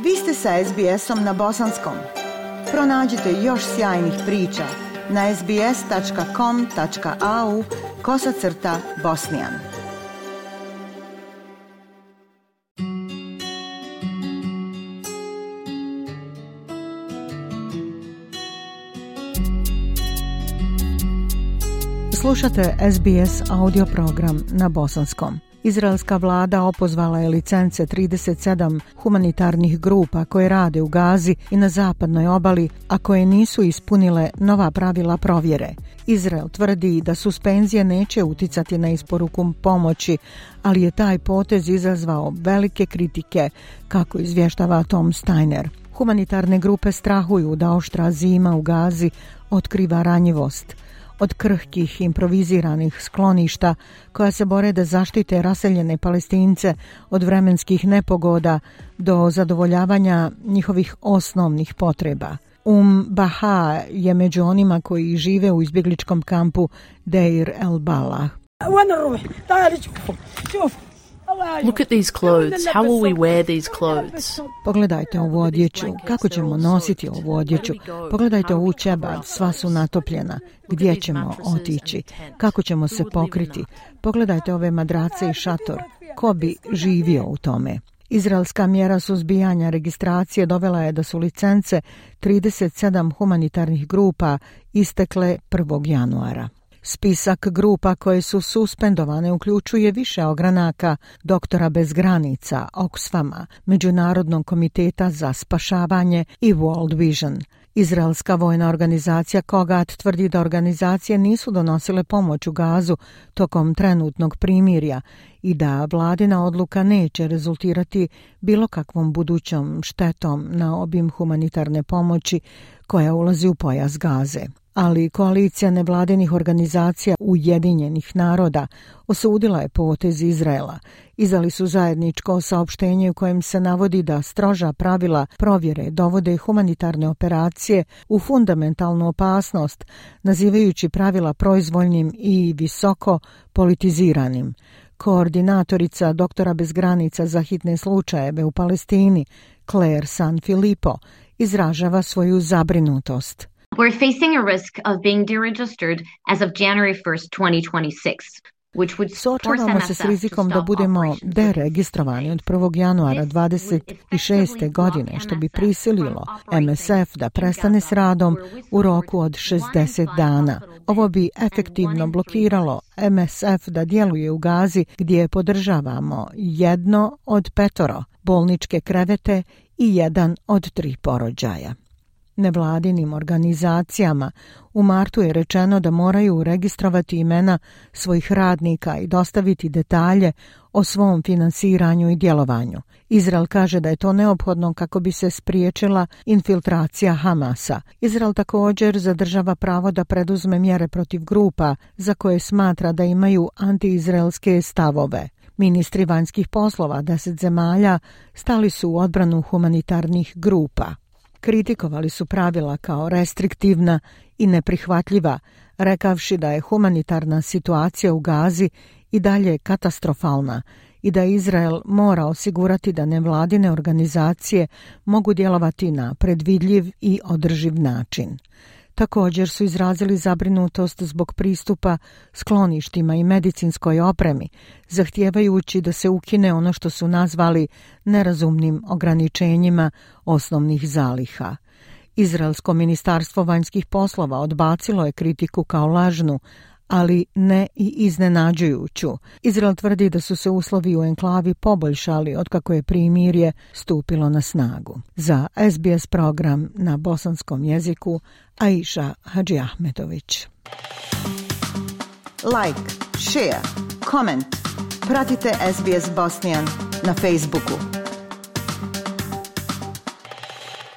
Vi ste sa SBS-om na bosanskom. Pronađite još sjajnih priča na sbs.com.au/bosnian. Slušate SBS audio program na bosanskom. Izraelska vlada opozvala je licence 37 humanitarnih grupa koje rade u Gazi i na zapadnoj obali, a koje nisu ispunile nova pravila provjere. Izrael tvrdi da suspenzije neće uticati na isporuku pomoći, ali je taj potez izazvao velike kritike, kako izvještava Tom Steiner. Humanitarne grupe strahuju da oštra zima u Gazi otkriva ranjivost. Od krhkih improviziranih skloništa koja se bore da zaštite raseljene Palestince od vremenskih nepogoda do zadovoljavanja njihovih osnovnih potreba. Baha je među onima koji žive u izbjegličkom kampu Deir el-Balah. Look at these clothes. How will we wear these clothes? Pogledajte ovu odjeću. Kako ćemo nositi ovu odjeću? Pogledajte ovu ćebad. Sva su natopljena. Gdje ćemo otići? Kako ćemo se pokriti? Pogledajte ove madrace i šator. Ko bi živio u tome? Izraelska mjera suzbijanja registracije dovela je da su licence 37 humanitarnih grupa istekle 1. januara. Spisak grupa koje su suspendovane uključuje više ogranaka Doktora bez granica, Oxfama, Međunarodnog komiteta za spašavanje i World Vision. Izraelska vojna organizacija Kogat tvrdi da organizacije nisu donosile pomoć u Gazu tokom trenutnog primirja i da vladina odluka neće rezultirati bilo kakvom budućom štetom na obim humanitarne pomoći koja ulazi u pojas Gaze. Ali koalicija nevladinih organizacija Ujedinjenih naroda osudila je potez Izraela. Izdali su zajedničko saopštenje u kojem se navodi da stroža pravila provjere dovode humanitarne operacije u fundamentalnu opasnost, nazivajući pravila proizvoljnim i visoko politiziranim. Koordinatorica Doktora bez granica za hitne slučajeve u Palestini, Claire Sanfilippo, izražava svoju zabrinutost. We're facing a risk of being deregistered as of January 1st, 2026. Suočavamo se s rizikom da budemo deregistrovani od 1. januara 26. godine, što bi prisililo MSF da prestane s radom u roku od 60 dana. Ovo bi efektivno blokiralo MSF da djeluje u Gazi, gdje podržavamo 1 od 5 bolničke krevete i 1 od 3 porođaja. Nevladinim organizacijama u martu je rečeno da moraju registrovati imena svojih radnika i dostaviti detalje o svom finansiranju i djelovanju. Izrael kaže da je to neophodno kako bi se spriječila infiltracija Hamasa. Izrael također zadržava pravo da preduzme mjere protiv grupa za koje smatra da imaju antiizraelske stavove. Ministri vanjskih poslova 10 zemalja stali su u odbranu humanitarnih grupa. Kritikovali su pravila kao restriktivna i neprihvatljiva, rekavši da je humanitarna situacija u Gazi i dalje katastrofalna i da Izrael mora osigurati da nevladine organizacije mogu djelovati na predvidljiv i održiv način. Također su izrazili zabrinutost zbog pristupa skloništima i medicinskoj opremi, zahtijevajući da se ukine ono što su nazvali nerazumnim ograničenjima osnovnih zaliha. Izraelsko ministarstvo vanjskih poslova odbacilo je kritiku kao lažnu, ali ne i iznenađujuću. Izrael tvrdi da su se uslovi u enklavi poboljšali otkako je primirje stupilo na snagu. Za SBS program na bosanskom jeziku Aisha Hadžiahmetović. Like, share, comment. Pratite SBS Bosnian na Facebooku.